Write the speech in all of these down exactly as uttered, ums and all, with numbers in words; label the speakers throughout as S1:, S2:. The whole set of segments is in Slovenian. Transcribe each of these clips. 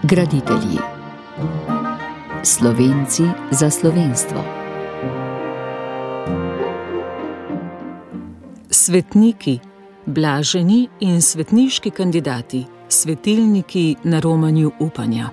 S1: Graditelji. Slovenci za slovenstvo.
S2: Svetniki, blaženi in svetniški kandidati, svetilniki na romanju upanja.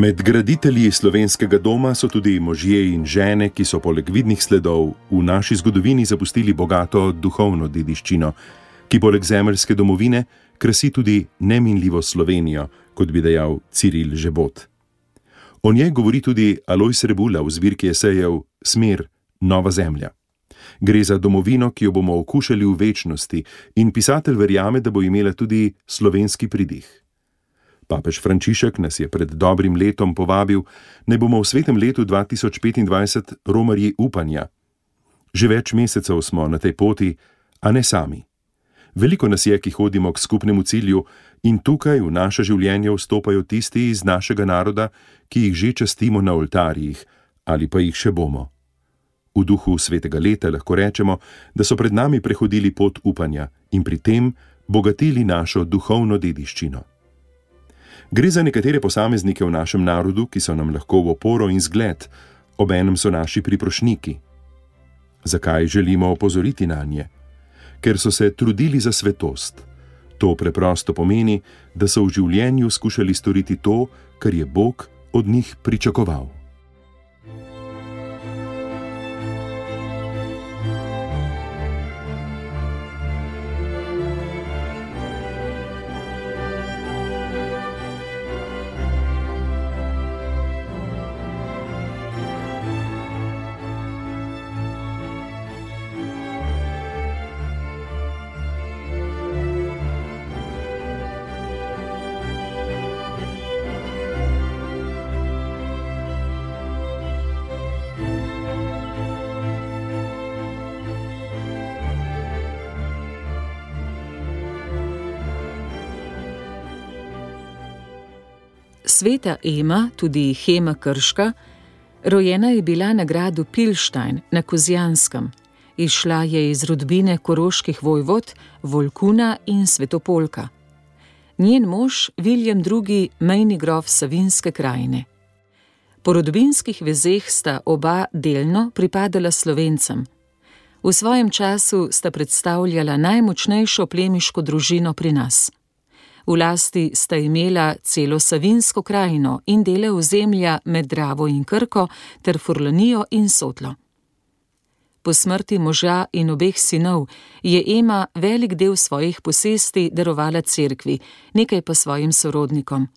S3: Med graditelji slovenskega doma so tudi možje in žene, ki so poleg vidnih sledov v naši zgodovini zapustili bogato duhovno dediščino, ki poleg zemeljske domovine krasi tudi neminljivo Slovenijo, kot bi dejal Ciril Žebot. O njej govori tudi Alojz Rebula v zbirki esejev Smer, nova zemlja. Gre za domovino, ki jo bomo okušali v večnosti, in pisatelj verjame, da bo imela tudi slovenski pridih. Papež Frančišek nas je pred dobrim letom povabil, naj bomo v svetem letu dva tisoč petindvajset romarji upanja. Že več mesecev smo na tej poti, a ne sami. Veliko nas je, ki hodimo k skupnemu cilju, in tukaj v naše življenje vstopajo tisti iz našega naroda, ki jih že častimo na oltarjih, ali pa jih še bomo. V duhu svetega leta lahko rečemo, da so pred nami prehodili pot upanja in pri tem bogatili našo duhovno dediščino. Gre za nekatere posameznike v našem narodu, ki so nam lahko v oporo in zgled, obenem so naši priprošniki. Zakaj želimo opozoriti nanje? Ker so se trudili za svetost. To preprosto pomeni, da so v življenju skušali storiti to, kar je Bog od njih pričakoval.
S2: Sveta Ema, tudi Hema Krška, rojena je bila na gradu Pilštajn na Kozjanskem. Izšla je iz rodbine koroških vojvod, Volkuna in Svetopolka. Njen mož, Viljem drugi., mejni grof Savinjske krajine. Po rodbinskih vezeh sta oba delno pripadala Slovencem. V svojem času sta predstavljala najmočnejšo plemiško družino pri nas. V lasti sta imela celo Savinjsko krajino in dele ozemlja med Dravo in Krko ter Furlanijo in Sotlo. Po smrti moža in obeh sinov je Ema velik del svojih posesti darovala cerkvi, nekaj pa svojim sorodnikom.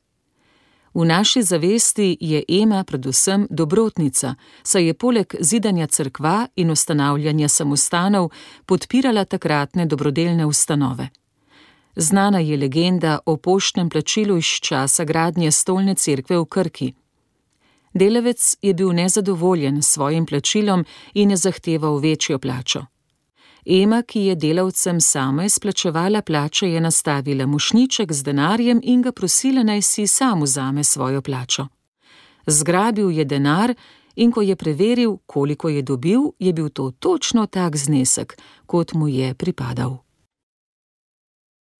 S2: V naši zavesti je Ema predvsem dobrotnica, saj je poleg zidanja cerkva in ustanavljanja samostanov podpirala takratne dobrodelne ustanove. Znana je legenda o poštnem plačilu iz časa gradnje stolne cerkve v Krki. Delavec je bil nezadovoljen s svojim plačilom in je zahteval večjo plačo. Ema, ki je delavcem sama izplačevala plače, je nastavila mošnjiček z denarjem in ga prosila, naj si sam vzame svojo plačo. Zgrabil je denar in ko je preveril, koliko je dobil, je bil to točno tak znesek, kot mu je pripadal.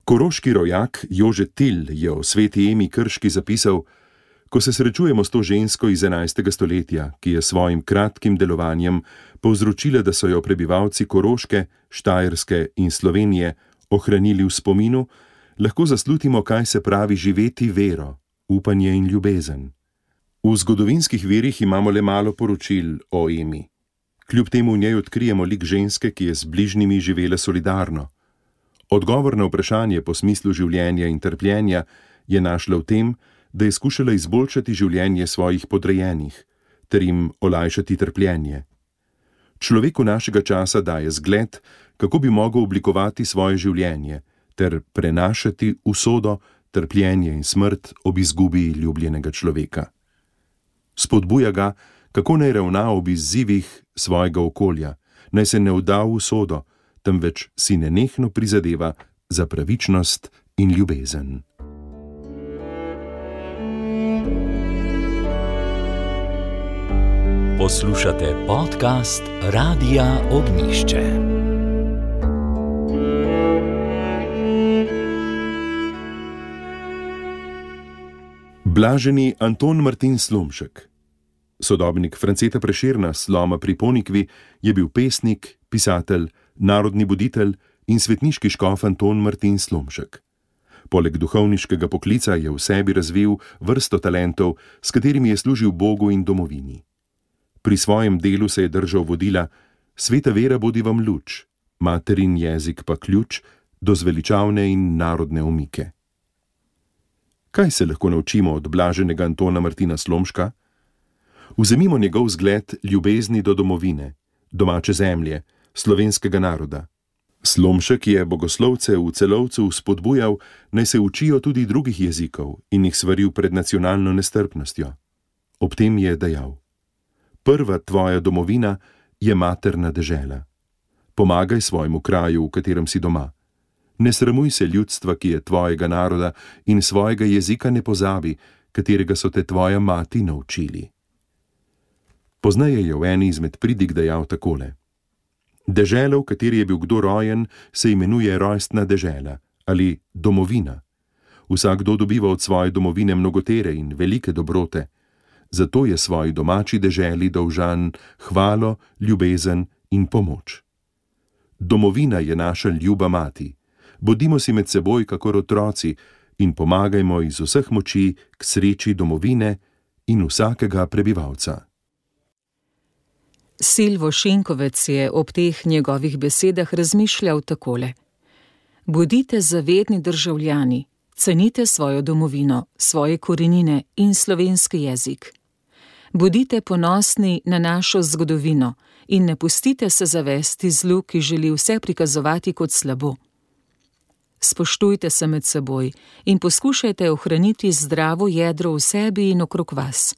S3: Koroški rojak Jože Til je o sveti Emi Krški zapisal: ko se srečujemo s to žensko iz enajstega stoletja, ki je svojim kratkim delovanjem povzročila, da so jo prebivalci Koroške, Štajerske in Slovenije ohranili v spominu, lahko zaslutimo, kaj se pravi živeti vero, upanje in ljubezen. V zgodovinskih virih imamo le malo poročil o Emi. Kljub temu v njej odkrijemo lik ženske, ki je z bližnjimi živela solidarno. Odgovor na vprašanje po smislu življenja in trpljenja je našla v tem, da je skušala izboljšati življenje svojih podrejenih, ter jim olajšati trpljenje. Človeku našega časa daje zgled, kako bi mogel oblikovati svoje življenje, ter prenašati usodo, trpljenje in smrt ob izgubi ljubljenega človeka. Spodbuja ga, kako naj ravna ob izzivih svojega okolja, naj se ne vda v usodo, temveč si nenehno prizadeva za pravičnost in ljubezen.
S4: Poslušate podcast Radia Ognjišče.
S3: Blaženi Anton Martin Slomšek, sodobnik Franceta Prešerna, Sloma pri Ponikvi, je bil pesnik, pisatelj, narodni buditelj in svetniški škof Anton Martin Slomšek. Poleg duhovniškega poklica je v sebi razvil vrsto talentov, s katerimi je služil Bogu in domovini. Pri svojem delu se je držal vodila: sveta vera bodi vam luč, materin jezik pa ključ do zveličavne in narodne omike. Kaj se lahko naučimo od blaženega Antona Martina Slomška? Vzemimo njegov zgled ljubezni do domovine, domače zemlje, slovenskega naroda. Slomšek je bogoslovce v Celovcu spodbujal, naj se učijo tudi drugih jezikov in jih svaril pred nacionalno nestrpnostjo. Ob tem je dejal: prva tvoja domovina je materna dežela. Pomagaj svojemu kraju, v katerem si doma. Ne sramuj se ljudstva, ki je tvojega naroda, in svojega jezika ne pozabi, katerega so te tvoja mati naučili. Poznaje je v eni izmed pridig dejal takole: dežela, v kateri je bil kdo rojen, se imenuje rojstna dežela ali domovina. Vsakdo dobiva od svoje domovine mnogotere in velike dobrote, zato je svoji domači deželi dolžan hvalo, ljubezen in pomoč. Domovina je naša ljuba mati. Bodimo si med seboj kakor otroci in pomagajmo iz vseh moči k sreči domovine in vsakega prebivalca.
S2: Silvo Šinkovec je ob teh njegovih besedah razmišljal takole: bodite zavedni državljani, cenite svojo domovino, svoje korenine in slovenski jezik. Bodite ponosni na našo zgodovino in ne pustite se zavesti zlu, ki želi vse prikazovati kot slabo. Spoštujte se med seboj in poskušajte ohraniti zdravo jedro v sebi in okrog vas.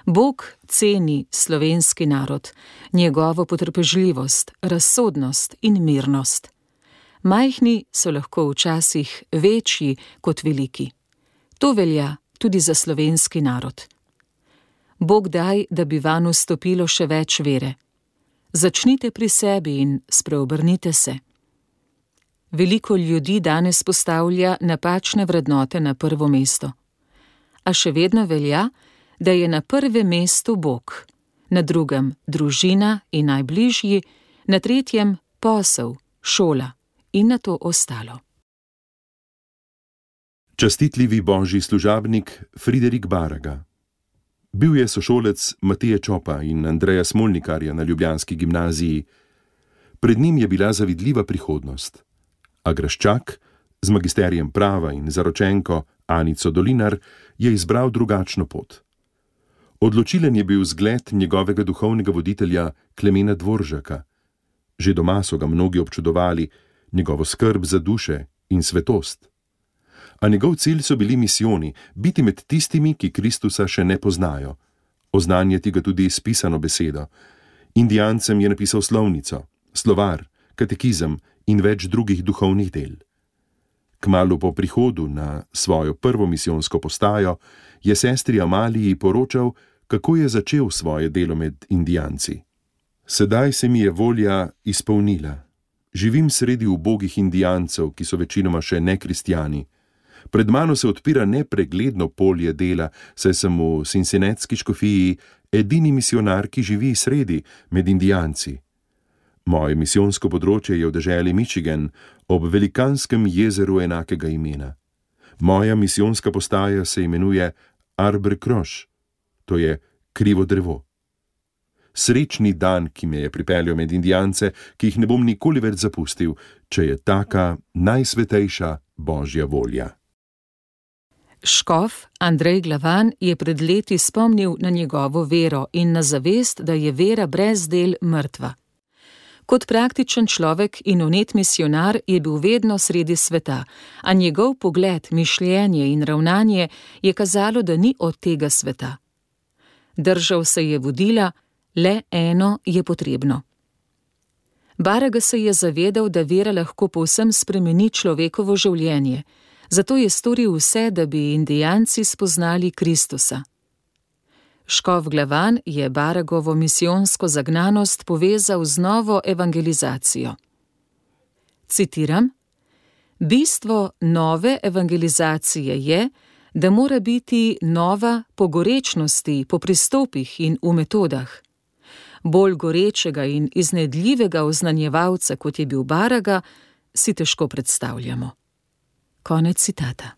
S2: Bog ceni slovenski narod, njegovo potrpežljivost, razsodnost in mirnost. Majhni so lahko včasih večji kot veliki. To velja tudi za slovenski narod. Bog daj, da bi vanj vstopilo še več vere. Začnite pri sebi in spreobrnite se. Veliko ljudi danes postavlja napačne vrednote na prvo mesto. A še vedno velja, da je na prvem mestu Bog, na drugem družina in najbližji, na tretjem posel, šola in na to ostalo.
S3: Častitljivi božji služabnik Friderik Baraga. Bil je sošolec Mateje Čopa in Andreja Smolnikarja na ljubljanski gimnaziji. Pred njim je bila zavidljiva prihodnost. A Graščak, z magisterijem prava in zaročenko Anico Dolinar, je izbral drugačno pot. Odločilen je bil zgled njegovega duhovnega voditelja Klemena Dvoržaka. Že doma so ga mnogi občudovali, njegovo skrb za duše in svetost. A njegov cilj so bili misijoni, biti med tistimi, ki Kristusa še ne poznajo. Oznanjati ga tudi s pisano besedo. Indijancem je napisal slovnico, slovar, katekizem in več drugih duhovnih del. Kmalu po prihodu na svojo prvo misijonsko postajo je sestri Amaliji poročal, kako je začel svoje delo med Indijanci. Sedaj se mi je volja izpolnila. Živim sredi ubogih Indijancev, ki so večinoma še nekristjani. Pred mano se odpira nepregledno polje dela, saj sem v Cincinnatski škofiji edini misijonar, ki živi sredi med Indijanci. Moje misijonsko področje je v deželi Michigan, ob velikanskem jezeru enakega imena. Moja misijonska postaja se imenuje Arbor Kroš, to je krivo drevo. Srečni dan, ki me je pripeljal med Indijance, ki jih ne bom nikoli več zapustil, če je taka najsvetejša božja volja.
S2: Škof Andrej Glavan je pred leti spomnil na njegovo vero in na zavest, da je vera brez del mrtva. Kot praktičen človek in vnet misijonar je bil vedno sredi sveta, a njegov pogled, mišljenje in ravnanje je kazalo, da ni od tega sveta. Držal se je vodila: le eno je potrebno. Baraga se je zavedal, da vera lahko povsem spremeni človekovo življenje, zato je storil vse, da bi Indijanci spoznali Kristusa. Škof Glavan je Baragovo misijonsko zagnanost povezal z novo evangelizacijo. Citiram: "Bistvo nove evangelizacije je, da mora biti nova po gorečnosti, po pristopih in v metodah. Bolj gorečega in iznedljivega oznanjevalca, kot je bil Baraga, si težko predstavljamo." Konec citata.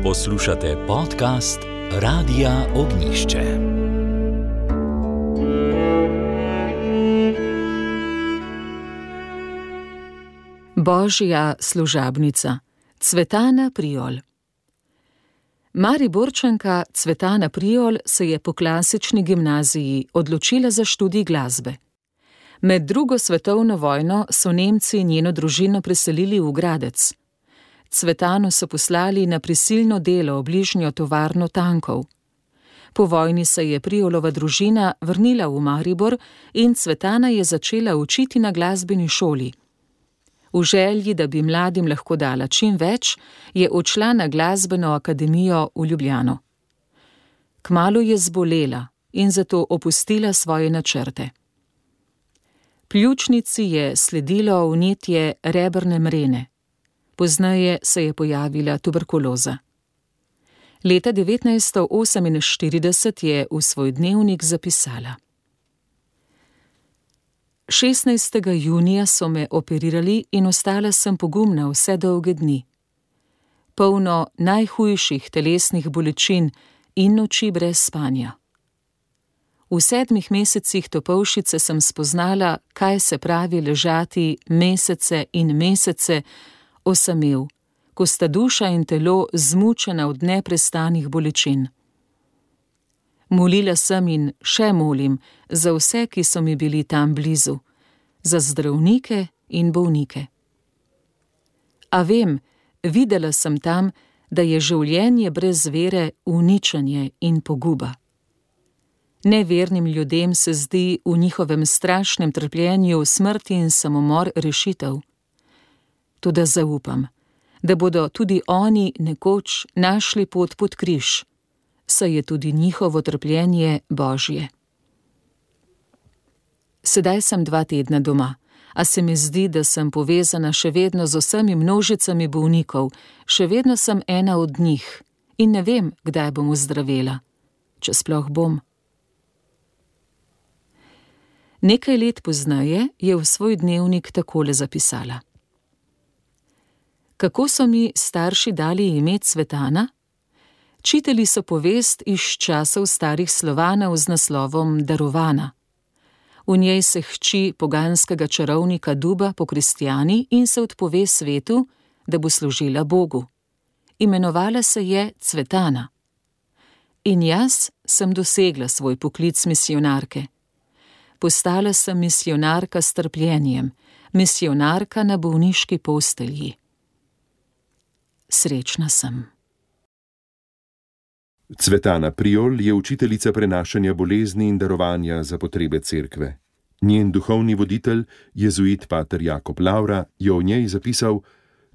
S4: Poslušate podcast Radia Ognjišče.
S2: Božja služabnica Cvetana Prijol. Mariborčanka Cvetana Prijol se je po klasični gimnaziji odločila za študij glasbe. Med drugo svetovno vojno so Nemci njeno družino preselili v Gradec. Cvetano so poslali na prisilno delo v bližnjo tovarno tankov. Po vojni se je Prijolova družina vrnila v Maribor in Cvetana je začela učiti na glasbeni šoli. V želji, da bi mladim lahko dala čim več, je odšla na glasbeno akademijo v Ljubljano. Kmalu je zbolela in zato opustila svoje načrte. Pljučnici je sledilo vnetje rebrne mrene. Pozneje se je pojavila tuberkuloza. Leta devetnajststo oseminštirideset je v svoj dnevnik zapisala: šestnajstega junija so me operirali in ostala sem pogumna vse dolge dni. Polno najhujših telesnih bolečin in noči brez spanja. V sedmih mesecih topolšice sem spoznala, kaj se pravi ležati mesece in mesece osamel, ko sta duša in telo zmučena od neprestanih bolečin. Molila sem in še molim za vse, ki so mi bili tam blizu, za zdravnike in bolnike. A vem, videla sem tam, da je življenje brez vere uničenje in poguba. Nevernim ljudem se zdi v njihovem strašnem trpljenju smrti in samomor rešitev. Toda zaupam, da bodo tudi oni nekoč našli pot pod križ, saj je tudi njihovo trpljenje Božje. Sedaj sem dva tedna doma, a se mi zdi, da sem povezana še vedno z vsemi množicami bolnikov, še vedno sem ena od njih in ne vem, kdaj bom ozdravela, če sploh bom. Nekaj let pozneje je v svoj dnevnik takole zapisala: Kako so mi starši dali ime Cvetana? Čitali so povest iz časov starih Slovanov z naslovom Darovana. V njej se hči poganskega čarovnika Duba pokristjani in se odpove svetu, da bo služila Bogu. Imenovala se je Cvetana. In jaz sem dosegla svoj poklic misijonarke. Postala sem misijonarka s trpljenjem, misijonarka na bolniški postelji. Srečna sem.
S3: Cvetana Prijol je učiteljica prenašanja bolezni in darovanja za potrebe cerkve. Njen duhovni voditelj, jezuit pater Jakob Lavra, je o njej zapisal: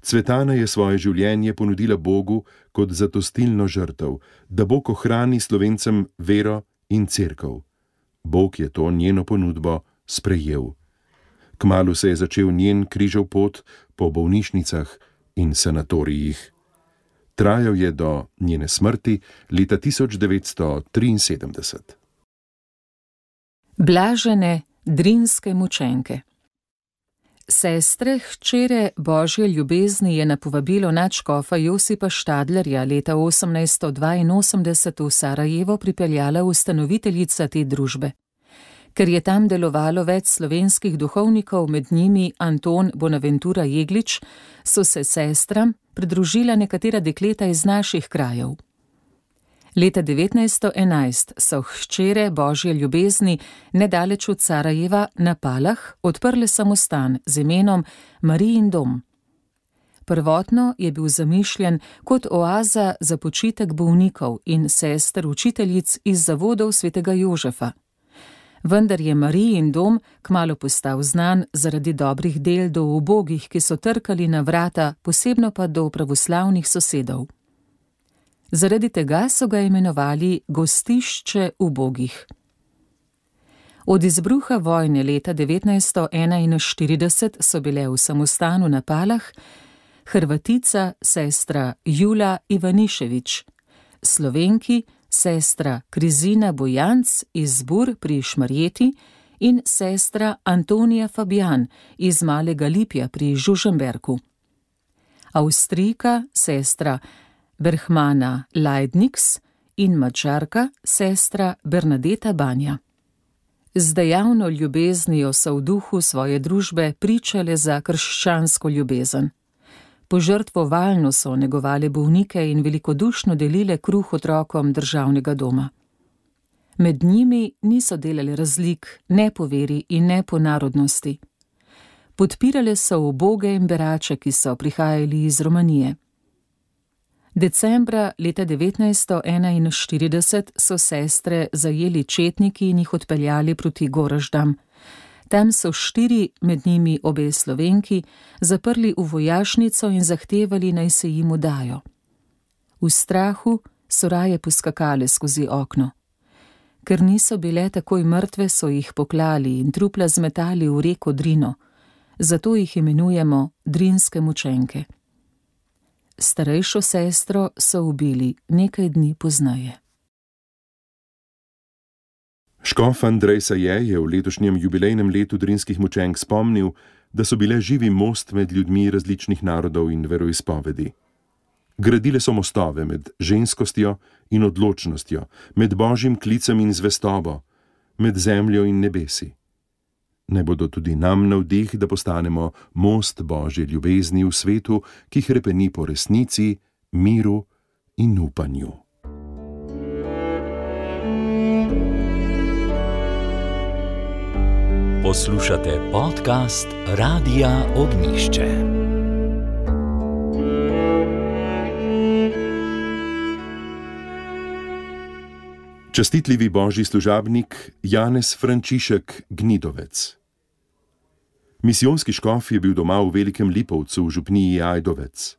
S3: Cvetana je svoje življenje ponudila Bogu kot zatostilno žrtev, da Bog ohrani Slovencem vero in cerkev. Bog je to njeno ponudbo sprejel. Kmalu se je začel njen križev pot po bolnišnicah in sanatorijih. Trajal je do njene smrti leta tisoč devetsto triinsedemdeset.
S2: Blažene drinske mučenke. Sestre, hčere Božje ljubezni je na povabilo nadškofa Josipa Štadlerja leta osemnajststo dvainosemdeset v Sarajevo pripeljala ustanoviteljica te družbe. Ker je tam delovalo več slovenskih duhovnikov, med njimi Anton Bonaventura Jeglič, so se sestram pridružila nekatera dekleta iz naših krajev. Leta devetnajststo enajst so hčere Božje ljubezni nedaleč od Sarajeva na Palah odprle samostan z imenom Marijin dom. Prvotno je bil zamišljen kot oaza za počitek bolnikov in sester učiteljic iz zavodov svetega Jožefa. Vendar je Marijin dom kmalu postal znan zaradi dobrih del do ubogih, ki so trkali na vrata, posebno pa do pravoslavnih sosedov. Zaradi tega so ga imenovali gostišče ubogih. Od izbruha vojne leta devetnajststo enainštirideset so bile v samostanu na Palah Hrvatica sestra Jula Ivanišević, Slovenki sestra Krizina Bojanc iz Zbur pri Šmarjeti in sestra Antonija Fabijan iz Malega Lipja pri Žužemberku. Avstrijka sestra Berhmana Leidniks in Madžarka sestra Bernadeta Banja. Z dejavno ljubeznijo so v duhu svoje družbe pričale za krščansko ljubezen. Požrtvovalno so negovale bolnike in velikodušno delile kruh otrokom državnega doma. Med njimi niso delali razlik, ne po veri in ne po narodnosti. Podpirale so uboge in berače, ki so prihajali iz Romanije. Decembra leta devetnajststo enainštirideset so sestre zajeli četniki in jih odpeljali proti Goraždam. Tam so štiri, med njimi obe Slovenki, zaprli v vojašnico in zahtevali, naj se jim udajo. V strahu so raje poskakale skozi okno. Ker niso bile takoj mrtve, so jih poklali in trupla zmetali v reko Drino, zato jih imenujemo drinske mučenke. Starejšo sestro so ubili nekaj dni pozneje.
S3: Škof Andrej Saje je v letošnjem jubilejnem letu drinskih mučenk spomnil, da so bile živi most med ljudmi različnih narodov in veroizpovedi. Gradile so mostove med ženskostjo in odločnostjo, med božjim klicem in zvestobo, med zemljo in nebesi. Naj bodo tudi nam navdih, da postanemo most božje ljubezni v svetu, ki hrepeni po resnici, miru in upanju.
S4: Poslušate podcast Radia Ognišče.
S3: Častitljivi božji služabnik Janez Frančišek Gnidovec. Misijonski škof je bil doma v Velikem Lipovcu v župniji Ajdovec.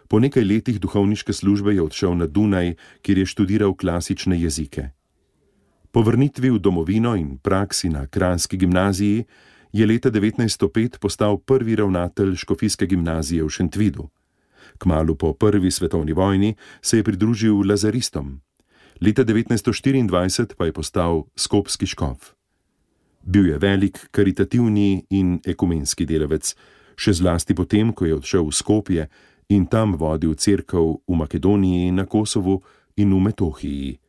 S3: Po nekaj letih duhovniške službe je odšel na Dunaj, kjer je študiral klasične jezike. Po vrnitvi v domovino in praksi na kranjski gimnaziji je leta devetnajststo pet postal prvi ravnatelj škofijske gimnazije v Šentvidu. Kmalu po prvi svetovni vojni se je pridružil lazaristom. Leta devetnajststo štiriindvajset pa je postal skopski škof. Bil je velik karitativni in ekumenski delavec, še zlasti potem, ko je odšel v Skopje in tam vodil cerkev v Makedoniji, na Kosovu in v Metohiji.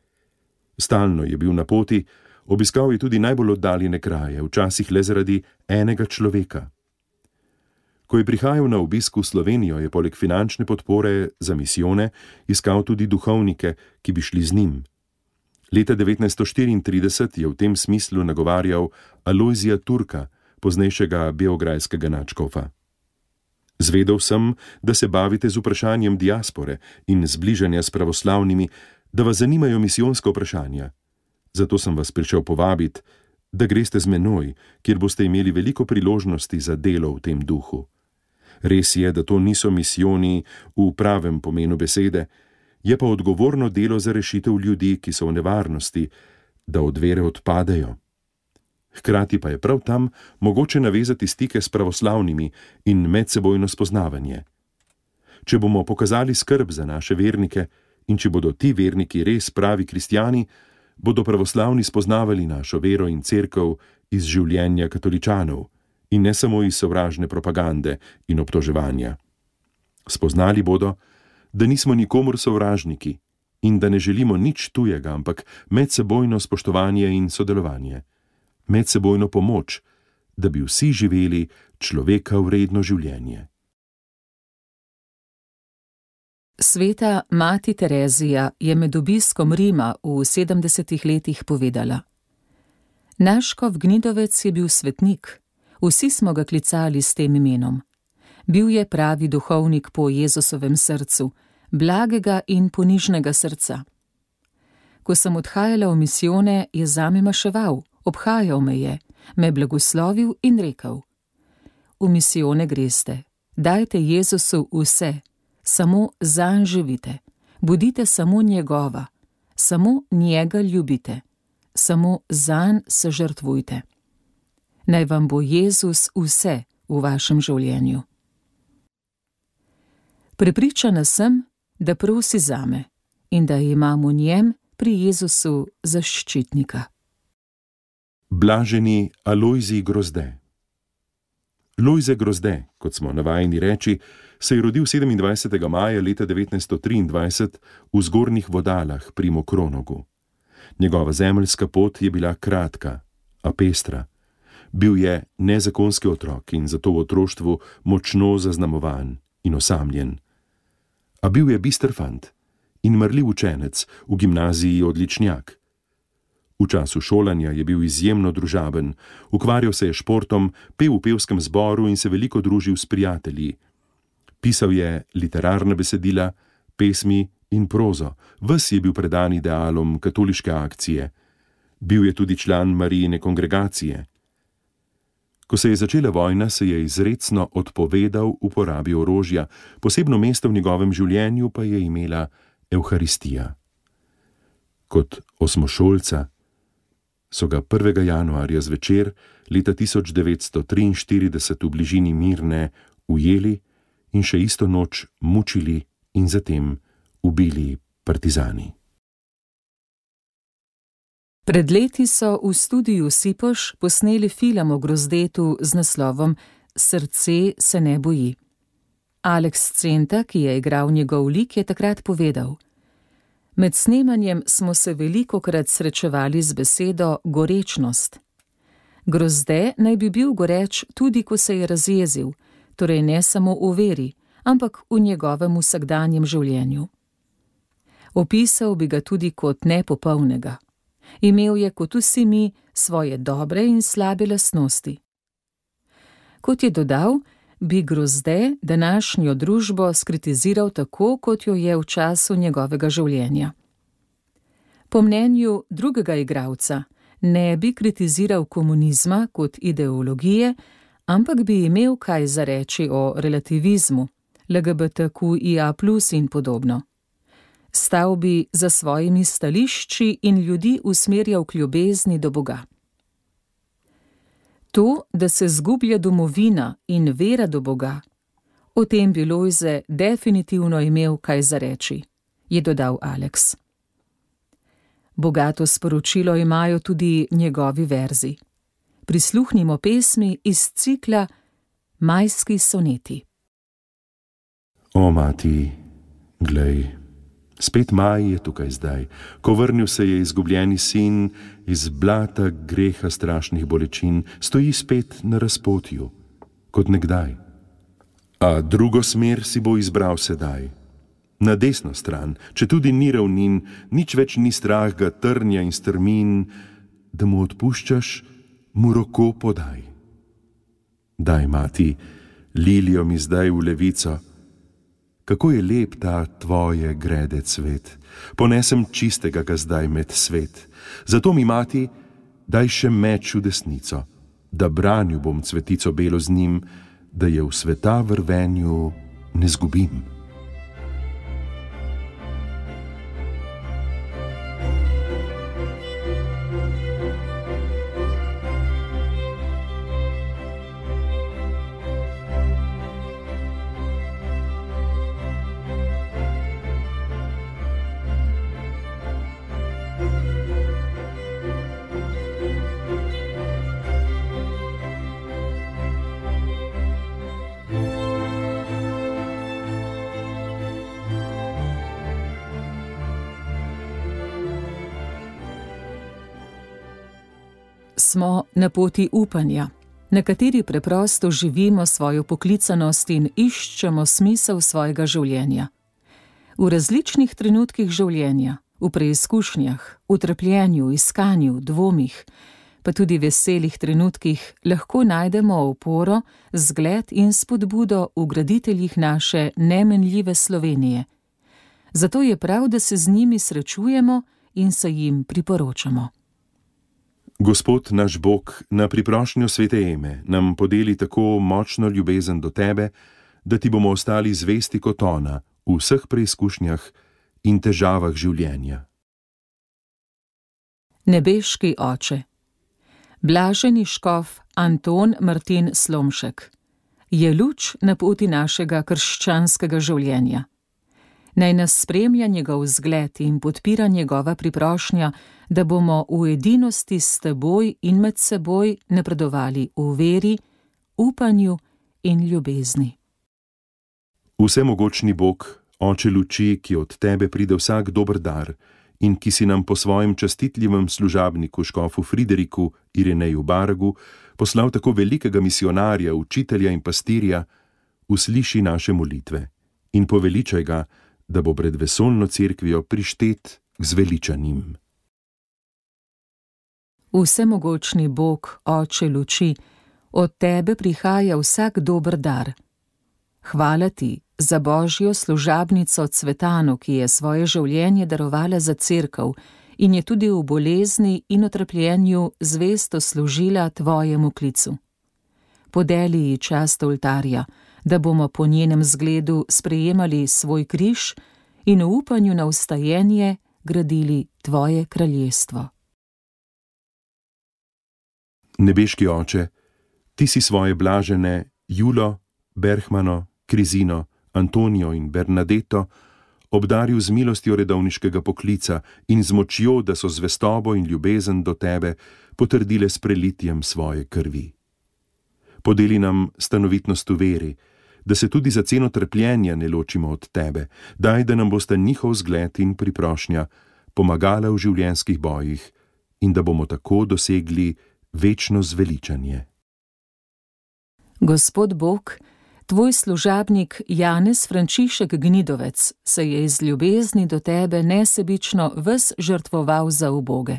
S3: Stalno je bil na poti, obiskal je tudi najbolj oddaljene kraje, včasih le zaradi enega človeka. Ko je prihajal na obisk v Slovenijo, je poleg finančne podpore za misijone iskal tudi duhovnike, ki bi šli z njim. Leta devetnajststo štiriintrideset je v tem smislu nagovarjal Alojzija Turka, poznejšega beograjskega nadškofa. Zvedel sem, da se bavite z vprašanjem diaspore in zbližanja s pravoslavnimi, da vas zanimajo misijonska vprašanja. Zato sem vas prišel povabiti, da greste z menoj, kjer boste imeli veliko priložnosti za delo v tem duhu. Res je, da to niso misijoni v pravem pomenu besede, je pa odgovorno delo za rešitev ljudi, ki so v nevarnosti, da od vere odpadejo. Hkrati pa je prav tam mogoče navezati stike s pravoslavnimi in medsebojno spoznavanje. Če bomo pokazali skrb za naše vernike in če bodo ti verniki res pravi kristjani, bodo pravoslavni spoznavali našo vero in cerkev iz življenja katoličanov in ne samo iz sovražne propagande in obtoževanja. Spoznali bodo, da nismo nikomur sovražniki in da ne želimo nič tujega, ampak medsebojno spoštovanje in sodelovanje, medsebojno pomoč, da bi vsi živeli človeka vredno življenje.
S2: Sveta mati Terezija je med obiskom Rima v sedemdesetih letih povedala: Naš škof Gnidovec je bil svetnik, vsi smo ga klicali s tem imenom. Bil je pravi duhovnik po Jezusovem srcu, blagega in ponižnega srca. Ko sem odhajala v misijone, je zame maševal, obhajal me je, me blagoslovil in rekel: V misijone greste, dajte Jezusu vse, samo zanj živite, bodite samo njegova, samo njega ljubite, samo zanj se žrtvujte. Naj vam bo Jezus vse v vašem življenju. Prepričana sem, da prosi zame in da imam v njem pri Jezusu zaščitnika.
S3: Blaženi Alojzij Grozde. Lojze Grozde, kot smo navajeni reči, se je rodil sedemindvajsetega maja leta devetnajststo triindvajset v Zgornjih Vodalah pri Mokronogu. Njegova zemeljska pot je bila kratka, a pestra. Bil je nezakonski otrok in zato v otroštvu močno zaznamovan in osamljen. A bil je bister fant in marljiv učenec, v gimnaziji odličnjak. V času šolanja je bil izjemno družaben, ukvarjal se je športom, pel v pevskem zboru in se veliko družil s prijatelji. Pisal je literarna besedila, pesmi in prozo, ves je bil predan idealom katoliške akcije. Bil je tudi član Marijine kongregacije. Ko se je začela vojna, se je izrecno odpovedal uporabi orožja, posebno mesto v njegovem življenju pa je imela Evharistija. Kot osmošolca so ga prvega januarja zvečer leta tisoč devetsto triinštirideset v bližini Mirne ujeli in še isto noč mučili in zatem ubili partizani.
S2: Pred leti so v studiu Sipoš posneli film o Grozdetu z naslovom Srce se ne boji. Aleks Centa, ki je igral njegov lik, je takrat povedal: Med snemanjem smo se velikokrat srečevali z besedo gorečnost. Grozde naj bi bil goreč tudi, ko se je razjezil, torej ne samo v veri, ampak v njegovem vsakdanjem življenju. Opisal bi ga tudi kot nepopolnega. Imel je kot vsi mi svoje dobre in slabe lastnosti. Kot je dodal, bi Grozde današnjo družbo skritiziral tako, kot jo je v času njegovega življenja. Po mnenju drugega igralca ne bi kritiziral komunizma kot ideologije, ampak bi imel kaj zareči o relativizmu, L G B T Q I A plus in podobno. Stal bi za svojimi stališči in ljudi usmerjal k ljubezni do Boga. To, da se zgublja domovina in vera do Boga, o tem bi Lojze definitivno imel kaj zareči, je dodal Aleks. Bogato sporočilo imajo tudi njegovi verzi. Prisluhnimo pesmi iz cikla Majski soneti.
S3: O, mati, glej, spet maj je tukaj zdaj, ko vrnil se je izgubljeni sin iz blata greha strašnih bolečin, stoji spet na razpotju, kot nekdaj. A drugo smer si bo izbral sedaj. Na desno stran, če tudi ni ravnin, nič več ni strah ga trnja in strmin, da mu odpuščaš, mu roko podaj. Daj, mati, lilijo mi zdaj v levico, kako je lep ta tvoje grede cvet, ponesem čistega ga zdaj med svet. Zato mi, mati, daj še meč v desnico, da branil bom cvetico belo z njim, da je v sveta vrvenju ne zgubim.
S2: Smo na poti upanja, na kateri preprosto živimo svojo poklicanost in iščemo smisel svojega življenja. V različnih trenutkih življenja, v preizkušnjah, v trpljenju, iskanju, dvomih, pa tudi veselih trenutkih lahko najdemo oporo, zgled in spodbudo v graditeljih naše nemenljive Slovenije. Zato je prav, da se z njimi srečujemo in se jim priporočamo.
S3: Gospod naš Bog, na priprošnjo svete Eme nam podeli tako močno ljubezen do tebe, da ti bomo ostali zvesti kot ona v vseh preizkušnjah in težavah življenja.
S2: Nebeški Oče, blaženi škof Anton Martin Slomšek, je luč na poti našega krščanskega življenja. Naj nas spremlja njegov zgled in podpira njegova priprošnja, da bomo v edinosti s teboj in med seboj napredovali v veri, upanju in ljubezni.
S3: Vsemogočni Bog, Oče luči, ki od tebe pride vsak dober dar in ki si nam po svojem častitljivem služabniku škofu Frideriku Ireneju Baragu poslal tako velikega misionarja, učitelja in pastirja, usliši naše molitve in poveličaj ga, da bo pred vesoljno cerkvijo prištet k zveličanim.
S2: Vsemogočni Bog, Oče luči, od tebe prihaja vsak dober dar. Hvala ti za Božjo služabnico Cvetano, ki je svoje življenje darovala za cerkev in je tudi v bolezni in utrpljenju zvesto služila tvojemu klicu. Podeli ji čast oltarja, da bomo po njenem zgledu sprejemali svoj križ in v upanju na vstajenje gradili tvoje kraljestvo.
S3: Nebeški Oče, ti si svoje blažene Julo, Berhmano, Krizino, Antonijo in Bernadeto obdaril z milostjo redovniškega poklica in z močjo, da so zvestobo in ljubezen do tebe potrdile s prelitjem svoje krvi. Podeli nam stanovitnost v veri, da se tudi za ceno trpljenja ne ločimo od tebe, daj, da nam bosta njihov zgled in priprošnja pomagala v življenjskih bojih in da bomo tako dosegli večno zveličanje.
S2: Gospod Bog, tvoj služabnik Janez Frančišek Gnidovec se je iz ljubezni do tebe nesebično ves žrtvoval za uboge.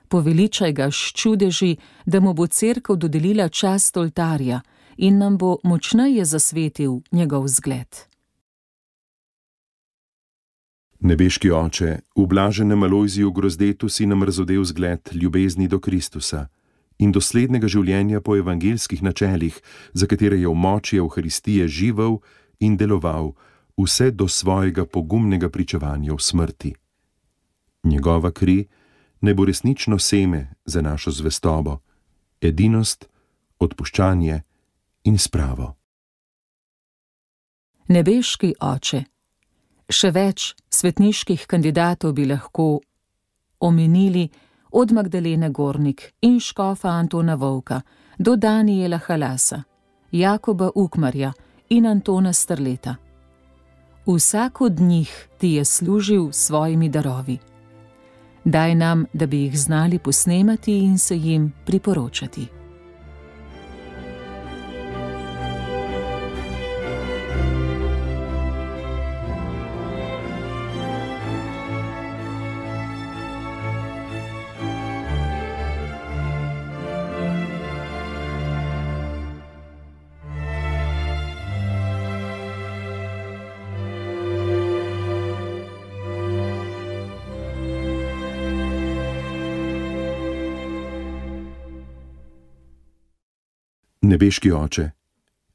S2: Poveličaj ga s čudeži, da mu bo cerkev dodelila čast oltarja in nam bo močneje zasvetil njegov zgled.
S3: Nebeški Oče, v blaženem Alojziju Grozdetu si nam razodel zgled ljubezni do Kristusa in doslednega življenja po evangeljskih načelih, za katere je v moči Evharistije živel in deloval vse do svojega pogumnega pričevanja v smrti. Njegova kri naj bo resnično seme za našo zvestobo, edinost, odpuščanje in spravo.
S2: Nebeški Oče, še več svetniških kandidatov bi lahko omenili, od Magdalene Gornik in škofa Antona Vovka do Danijela Halasa, Jakoba Ukmarja in Antona Strleta. Vsak od njih ti je služil s svojimi darovi. Daj nam, da bi jih znali posnemati in se jim priporočati.
S3: Nebeški Oče,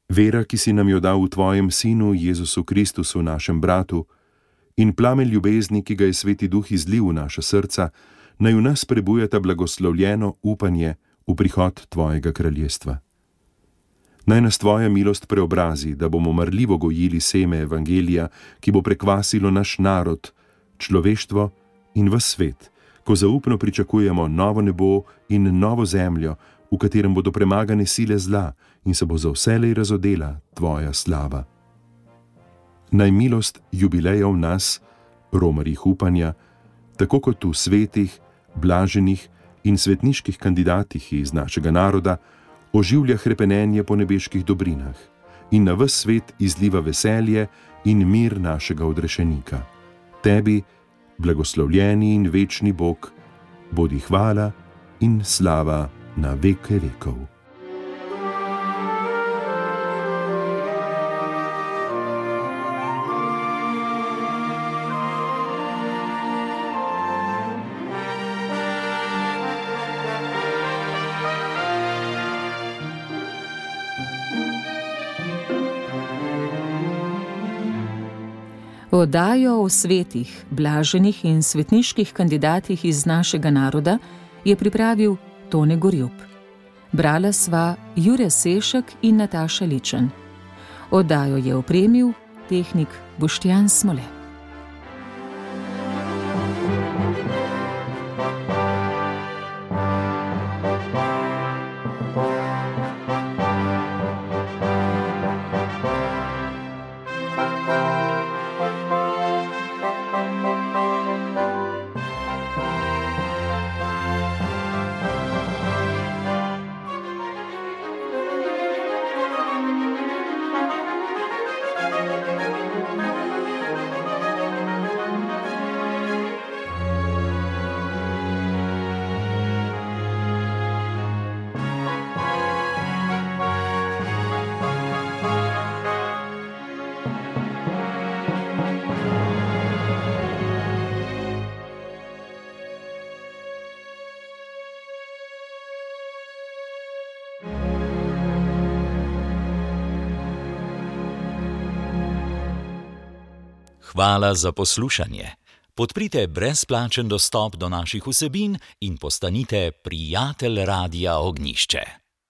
S3: vera, ki si nam jo dal v tvojem Sinu Jezusu Kristusu, našem bratu, in plamen ljubezni, ki ga je Sveti Duh izlil v naša srca, naj v nas prebujata blagoslovljeno upanje v prihod tvojega kraljestva. Naj nas tvoja milost preobrazi, da bomo marljivo gojili seme evangelija, ki bo prekvasilo naš narod, človeštvo in ves svet, ko zaupno pričakujemo novo nebo in novo zemljo, v katerem bodo premagane sile zla in se bo za vselej razodela tvoja slava. Naj milost jubilejev nas, romarjih upanja, tako kot v svetih, blaženih in svetniških kandidatih iz našega naroda, oživlja hrepenenje po nebeških dobrinah in na ves svet izliva veselje in mir našega odrešenika. Tebi, blagoslovljeni in večni Bog, bodi hvala in slava na veke vekov.
S2: Oddajo o svetih, blaženih in svetniških kandidatih iz našega naroda je pripravil Tone Gorjup. Brala sva Jure Sešek in Nataša Ličen. Oddajo je opremil tehnik Boštjan Smole.
S4: Hvala za poslušanje. Podprite brezplačen dostop do naših vsebin in postanite prijatelj Radia Ognjišče.